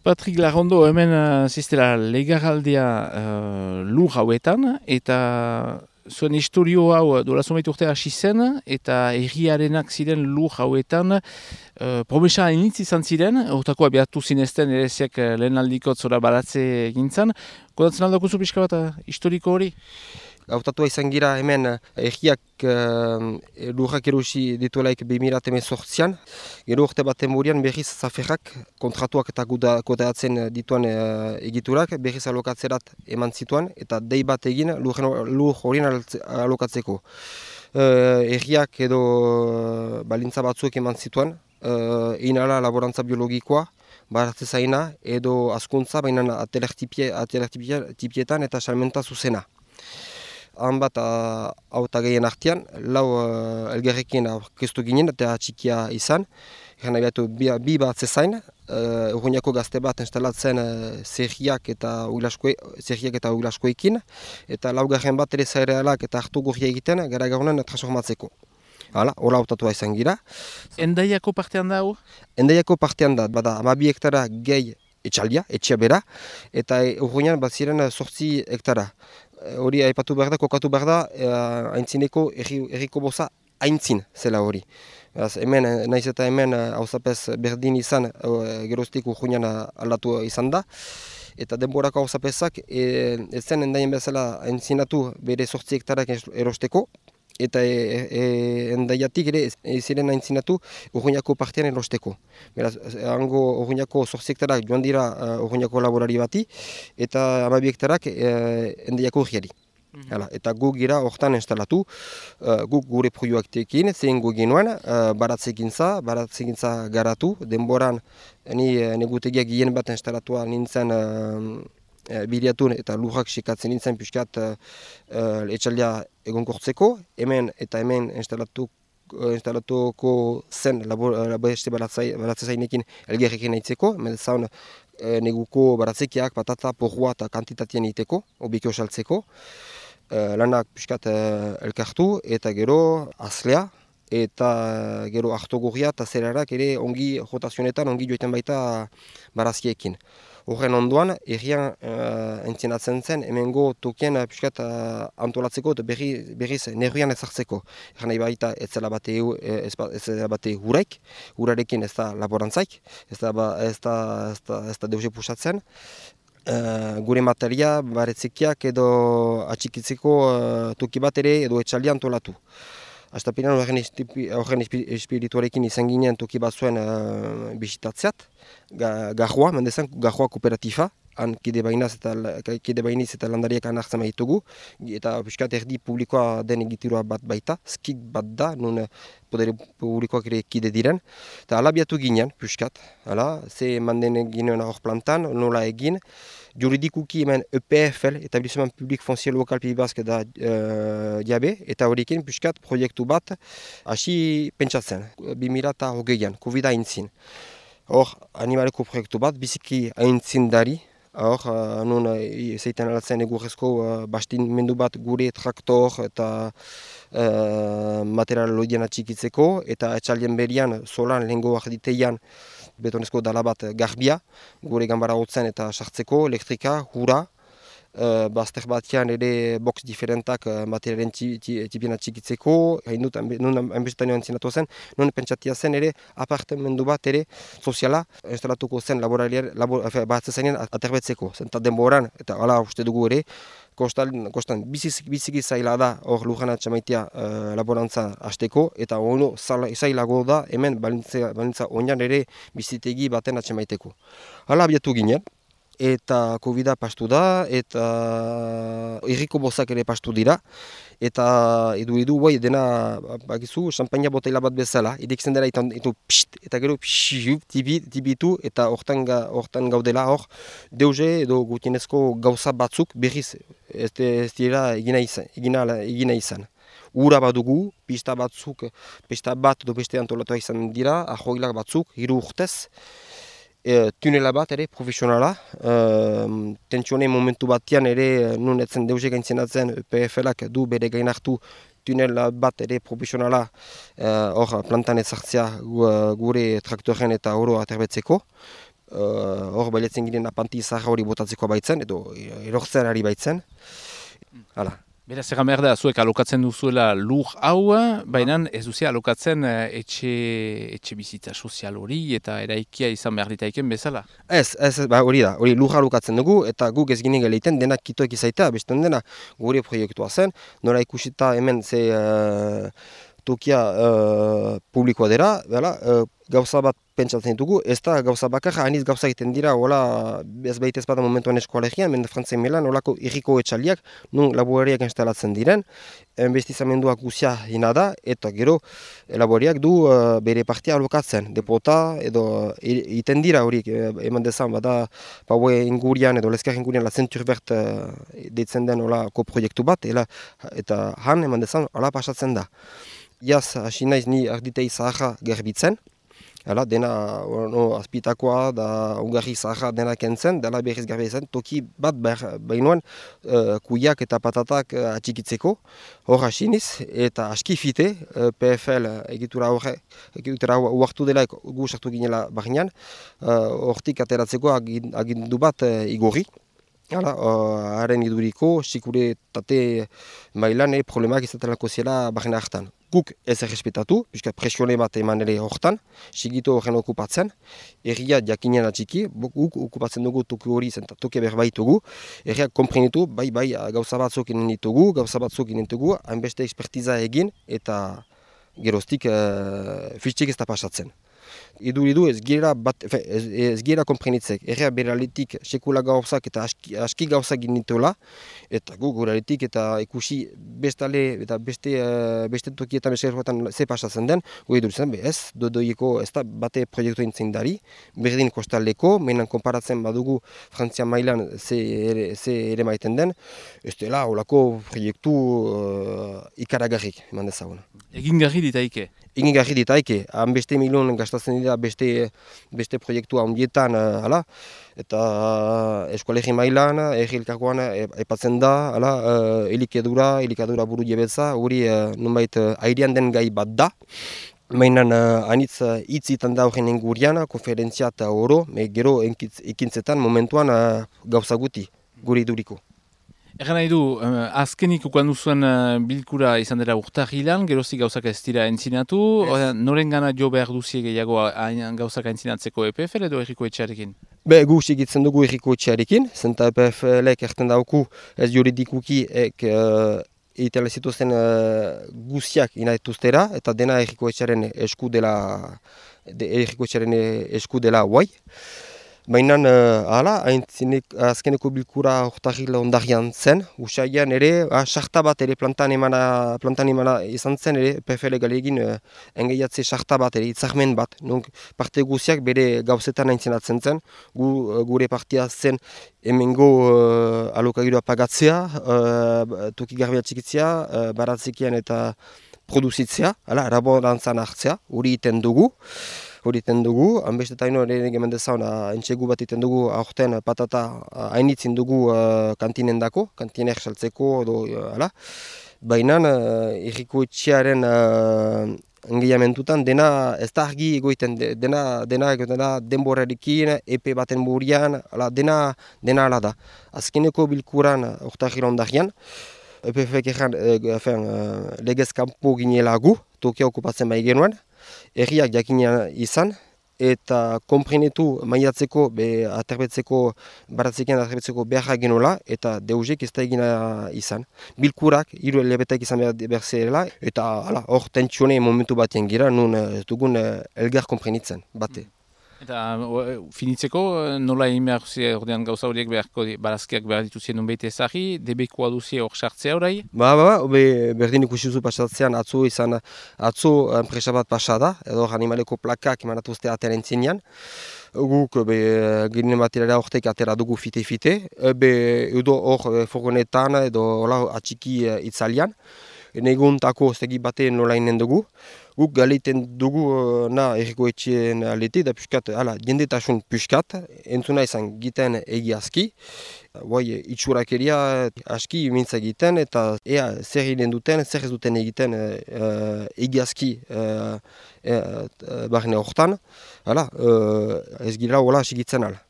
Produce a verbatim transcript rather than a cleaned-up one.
Patrik Larrondo, hemen uh, ziztela legaraldia uh, lur hauetan, eta zuen historio hau dola zomait urte hasi zen, eta erriarenak ziren lur hauetan, uh, promesa hainitz izan ziren, hortako abiatu zinezten ereziak uh, lehen aldikot zora baratze gintzan. Kodatzen aldakuzu pixka bat uh, historiko hori? Hautatua izan gira hemen erriak uh, lurrak erosi dituelaik bi mila hemezortzian. Gero urte baten burian berriz zaferrak kontratuak eta kudeatzen dituan uh, egiturak berriz alokatzerat eman zituan eta dei bat egin lur horien alokatzeko. Uh, erriak edo uh, balintza batzuek eman zituan, uh, egin ala laborantza biologikoa, baratze zaina edo askuntza, baina atelertipietan eta salmenta zuzena. Han bat hauta gehien artean, lau uh, elgerrekin aurkeztu ginen eta txikia izan. Egan nahi bi, bi bat zezain, uh, urruñako gazte bat instalatzen uh, zerriak eta uglaskoekin, eta laugarren bat ere zairealak eta hartu gurria egiten gara gaunen transformatzeko. Hala, hola hautatua izan gira. Endaiako partean da hau? Endaiako partean da, bada hamabi hektara gehi etxaldia, etxea bera, eta urruñan bat ziren sortzi hektara. Hori aipatu behar da, kokatu behar da, haintzineko erriko boza haintzin zela hori. Hemen, naiz eta hemen hauzapez berdin izan, geroztik urruñan aldatu izan da. Eta denborako hauzapezak ez zen endaien bezala haintzinatu bere sortzi hektarak erosteko. Eta e, e, endaiatik ere ez ziren haintzinatu urruñako partean erosteko. Beraz, hango urruñako zortzi hektarak joan dira uh, urruñako laborari bati, eta hamabi hektarak uh, endaiako urriari. Mm-hmm. Eta guk gira hortan instalatu, uh, guk gure proioaktekin, zein gu ginoen, uh, baratzegintza, baratzegintza garatu, denboran ni negutegiak gien bat instalatua nintzen uh, biliatun eta lurrak sekatzen nintzen pixkat uh, uh, etxaldea egonkortzeko, hemen eta hemen instalatu, uh, instalatuko zen beste baratze zainekin elgerrekin nahitzeko, hemen zaun uh, neguko baratzekiak, patata, porrua eta kantitatean egiteko, obikio saltzeko, uh, lanak pixkat uh, elkartu eta gero azlea, eta gero hartogurria eta zerarak ere ongi rotazionetan ongi joiten baita barazkiekin. Horren ondoan, errian uh, entzienatzen zen, hemengo tokien uh, piskat uh, antolatzeko eta berri, berriz nervian ezartzeko. Erran nahi baita ez zela bate, ez, ez bate huraik, hurarekin ez da laborantzaik, ez da, ez da, ez da, ez da deuze pusatzen. Uh, gure materia, baretzekiak edo atxikitzeko uh, toki bat ere edo etxaldia antolatu. Astapenean horren espirituarekin izan ginen toki bat zuen uh, bisitatzeat, Garroa, mendezan Garroa kooperatifa, han kide bainaz eta, kide bainiz eta landariak anartzen behitugu, eta piskat erdi publikoa den egiturua bat baita, skik bat da, nun podere publikoak ere kide diren, eta alabiatu ginen, piskat, hala, ze manden ginen hor plantan, nola egin, juridikuki hemen E P F L, Etablissement Public Foncier Local Pays Basque da uh, diabe, eta horrekin piskat proiektu bat hasi pentsatzen, bi mila hogeian, COVID haintzin. Hor, animaleko proiektu bat, biziki aintzindari, hor, uh, nun uh, zeiten alatzen egurrezko uh, bastimendu bat gure traktor eta uh, material lodien atxikitzeko, eta etxaldien berian, solan, lehengo arditeian, betonezko dala bat garbia, gure gambara hotzen eta sartzeko, elektrika, hura, uh, bazter batean ere box diferentak uh, materialen tipien atxikitzeko, hain dut, nun hainbestetan joan zinatu zen, nun pentsatia zen ere apartamendu bat ere soziala instalatuko zen laborariar, labor, bat zezainen aterbetzeko, zenta denboran, eta hala uste dugu ere, Kostan, kostan biziki zaila da hor lujana txamaitea uh, laborantza hasteko eta ono zailago da hemen balintza, balintza oinan ere bizitegi baten atxamaiteko. Hala abiatu ginen eta COVID-a pastu da eta irriko bozak ere pastu dira eta edu edu bai dena bakizu champagne botella bat bezala idekzen dela eta itu pst eta gero pst tibitu eta hortan hortan gaudela hor deuze edo gutienezko gauza batzuk berriz ez dira egina izan egina egina izan. Ura badugu, pista batzuk, pista bat edo beste antolatua izan dira, ahoilak batzuk, hiru urtez. E, tunela bat ere profesionala, e, tentsione momentu batean ere nun etzen deuze gaintzienatzen P F L-ak du bere gain hartu tunel bat ere profesionala hor e, plantan ezartzea gure traktoren eta oro aterbetzeko. hor bailetzen giren apanti zaharra hori botatzeko baitzen, edo erortzen ari baitzen. Hala. Beraz, egan behar da, zuek alokatzen duzuela lur hau, baina ez duzia alokatzen etxe, etxe bizitza sozial hori eta eraikia izan behar ditaiken bezala? Ez, ez, ba, hori da, hori lur alokatzen dugu eta guk ez ginen geleiten denak kitoek izaitea, beston dena gure proiektua zen, nora ikusita hemen ze uh, tokia uh, publikoa dira, bela, uh, gauza bat pentsatzen ditugu, ez da gauza bakarra, aniz gauza egiten dira, hola, ez baita ez bada momentuan eskoalegian, mende Frantzen melan, holako irriko etxaliak, nun laborariak instalatzen diren, enbestizamenduak guzia hina da, eta gero laborariak du uh, bere partia alokatzen, depota, edo iten dira horiek, eman dezan, bada, paue ingurian, edo lezkar ingurian, la zenturbert uh, deitzen den holako proiektu bat, ela, eta han, eman dezan, hola pasatzen da. Iaz, hasi naiz ni arditei zaharra garbitzen, Hala, dena no, azpitakoa da ungarri zaharra dena kentzen, dela berriz garbi izan, toki bat behinuan uh, kuiak eta patatak uh, atxikitzeko, hor hasiniz, eta aski fite, uh, P F L egitura horre, egitura uartu dela gu sartu ginela barnean, hortik uh, ateratzeko agindu bat uh, igorri. Hala, haren uh, iduriko, sikuritate mailan e problemak izatenako zela barren hartan. Guk ez errespetatu, puisque presione bat eman ere hortan, sigitu horren okupatzen, erria jakinen atxiki, guk okupatzen dugu toki hori zen, toki berbaitugu, erriak komprenitu, bai bai gauza batzuk inen ditugu, gauza batzuk inen ditugu, hainbeste ekspertiza egin, eta geroztik uh, fitxik ez da pasatzen. Iduridu ez gira bat, ez, ez gira komprenitzek, errea beraletik sekula gauzak eta aski, aski gauzak ginituela, eta gu guraletik eta ikusi bestale eta beste, uh, beste tokietan beserroetan ze pasatzen den, gu iduritzen, be ez, dodoieko ez da bate proiektu entzen dari, berdin kostaldeko, menan konparatzen badugu Frantzia mailan ze ere, ze ere maiten den, ez dela holako proiektu uh, ikaragarrik, eman dezagun. Egin garri ditaike? Egin garri ditaike, han beste milion gastatzen dira beste, beste proiektua ondietan, uh, ala, eta uh, eskolegi mailan, errilkakoan aipatzen da, ala, uh, elikadura, elikadura buru jebetza, hori uh, nunbait uh, airean den gai bat da. Mainan uh, anitz uh, hitzitan da horren ingurian, konferentzia eta oro, me gero ekintzetan momentuan uh, gauza guti, gure iduriko. Egan nahi du, uh, azkenik ukan duzuen uh, bilkura izan dela urtarrilan, geroztik gauzak ez dira entzinatu, yes. Noren gana jo behar duzie gehiago gauzak entzinatzeko E P F L edo erriko etxearekin? Be, gu segitzen dugu erriko etxearekin, zenta E P F L-ek erten dauku ez juridikuki ek uh, egiten zituzten uh, guziak inaituztera, eta dena erriko etxearen esku dela, de, erriko etxearen esku dela guai. Baina, hala, azkeneko bilkura urtarrila ondarian zen, usaian ere, sarta bat ere plantan emana, plantan emana izan zen, ere P F L galegin uh, engeiatze sarta bat ere, itzarmen bat. Nunk, parte guziak bere gauzetan aintzenatzen zen, gu, gure partia zen hemengo uh, alokagirua pagatzea, uh, toki garbia txikitzea, uh, baratzekian eta produzitzea, hala, raborantzan hartzea, hori iten dugu. Hori iten dugu, hanbestetaino ere gemen dezauna entxegu bat iten dugu aurten patata hainitzin dugu uh, kantinen dako, kantinek saltzeko edo hala. Baina uh, irriko etxearen uh, engeiamentutan dena ez da argi egoiten, dena, dena, dena denborarekin, epe baten burian, ala, dena, dena ala da. Azkeneko bilkuran urtarrila ondarian, E P F K erran uh, legez kanpo ginela gu, tokia okupatzen bai genuen, erriak jakinean izan, eta konprenetu maiatzeko, be, aterbetzeko, baratzekean aterbetzeko beharra genola, eta deuzek ez da egina izan. Bilkurak, hiru elebetak izan behar zela, eta hor tentsione momentu batean gira, nun ez dugun elgar konprenitzen, bate. Eta finitzeko, nola egin behar duzie ordean gauza horiek beharko barazkiak behar dituzien nunbeite ezagri, debekoa duzie hor sartzea orai? Ba, ba, ba, berdin ikusi duzu pasatzean atzo izan, atzo enpresa bat pasada, edo animaleko plakak emanatuzte atera entzinean. Guk, be, ginen baterera hortek atera dugu fite-fite, be, edo hor furgonetan edo atxiki itzalian. neguntako zegi batean nola inen dugu. Guk galeiten dugu uh, na erriko etxeen alete, da piskat, ala, jendetasun piskat, entzuna izan giten egiazki. Guai, itxurakeria aski mintza egiten, eta ea zer egiten duten, zer ez duten egiten uh, egiazki uh, uh, barne hortan. Hala, uh, ez gira hola asigitzen ala.